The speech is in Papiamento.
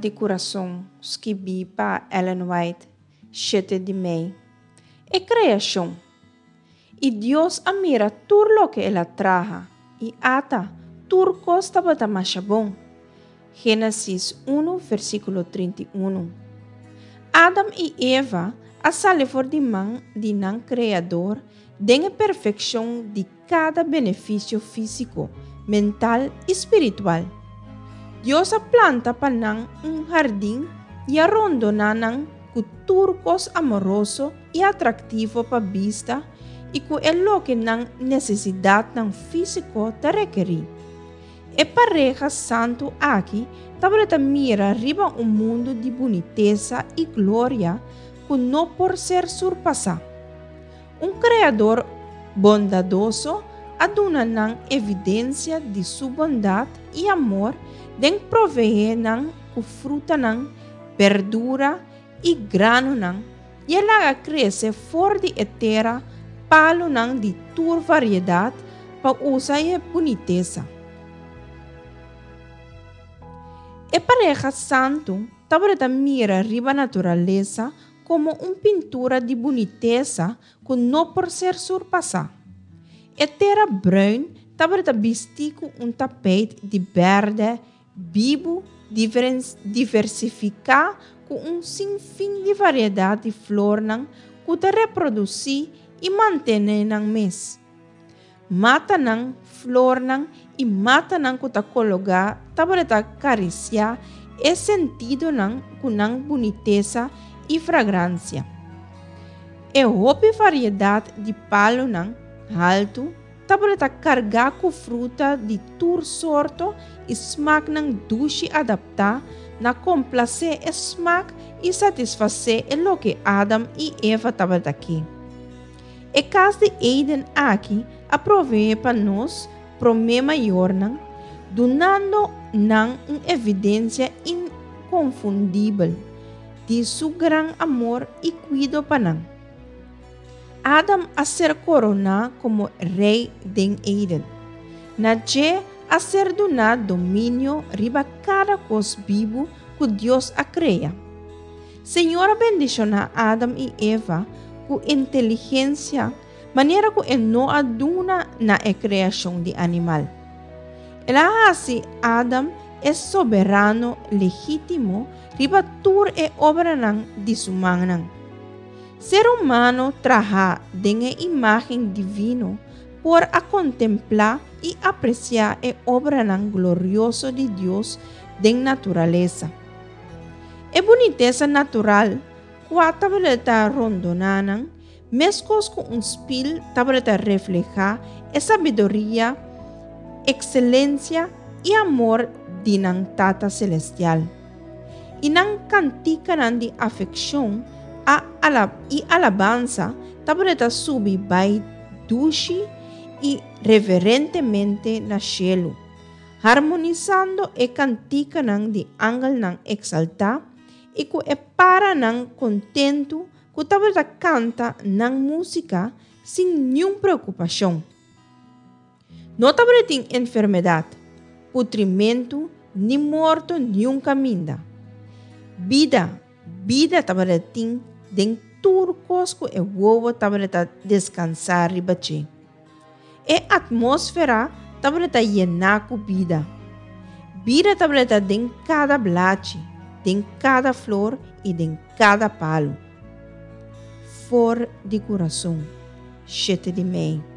di Kurason, skibí pa Ellen White, shete di mei. E Kreashon. I Dios a mira tur loke el a traha, i ata, tur kos tabata masha bon. Génesis unu, versíkulo 31. Adam i Eva a sali for di man di nan Kreador den e perfekshon di kada benefisio físiko, mental i spiritual. Dios a planta pa nan un hardin i a rondoná nan ku tur kos amoroso i atraktivo pa bista i ku e loke nan nesesidatnan físiko ta rekerí. E pareha santu aki tabata mira riba un mundu di bunitesa i gloria ku no por ser surpasá. Un Kreador bondadoso a duna nan evidensia di su bondat i amor den proveé nan ku frutanan, berdura i granonan, i a laga krese for di e tera palunan di tur variedat pa usa e bunitesa. E pareha santu tabata mira riba naturalesa komo un pintura di bunitesa ku no por ser surpasá. E tera bruin tabata bistí ku un tapeit di bèrdè bibu diversifiká ku un sinfin di variedat di flornan ku ta reprodusí i mantené nan mes. Matanan, flornan i matanan ku ta kologá tabata karisiá e sentidonan ku nan bunitesa i fragransia. E hopi variedat di palunan haltu tabata kargá ku fruta di tur sorto i smaknan dushi adaptá na komplasé e smak i satisfasé e loke Adam i Eva tabata ke. E kas di Eden aki a proveé pa nos promé mayornan, dunando nan un evidensia inkonfundibel di su gran amor i kuido pa nan. Adam a ser koroná komo rei den Eden. Na dje a ser duná dominio riba kada kos bibu ku Dios a krea. Señor a bendishoná Adam i Eva ku inteligensia manera ku e no a duna na e kreashon di animal. El a hasi Adam e soberano legítimo riba tur e obranan di su mannan. Ser humano trahá den e imágen divino por a kontemplá i apresiá e obranan glorioso di Dios den naturalesa. E bunitesa natural kua tabata rondoná nan, meskos ku un spil tabata reflehá e sabiduria, ekselensia i amor di nan Tata selestial. I nan kantikanan di afekshon a i alabansa tabata subi bai dushi i reverentemente na shelu. Harmonisando e kantikanan di angelnan eksaltá i ku e paranan kontentu ku tabata kanta nan músika sin niun preokupashon. No tabatin enfermedat, putrimentu ni morto niun kaminda. Bida, bida tabatin den tur kos ku e wowo tabata deskansá riba dje. E atmósfera tabata yená ku bida. Bida tabata den kada blachi, den kada flor i den kada palu. For di kurason, shete di mei.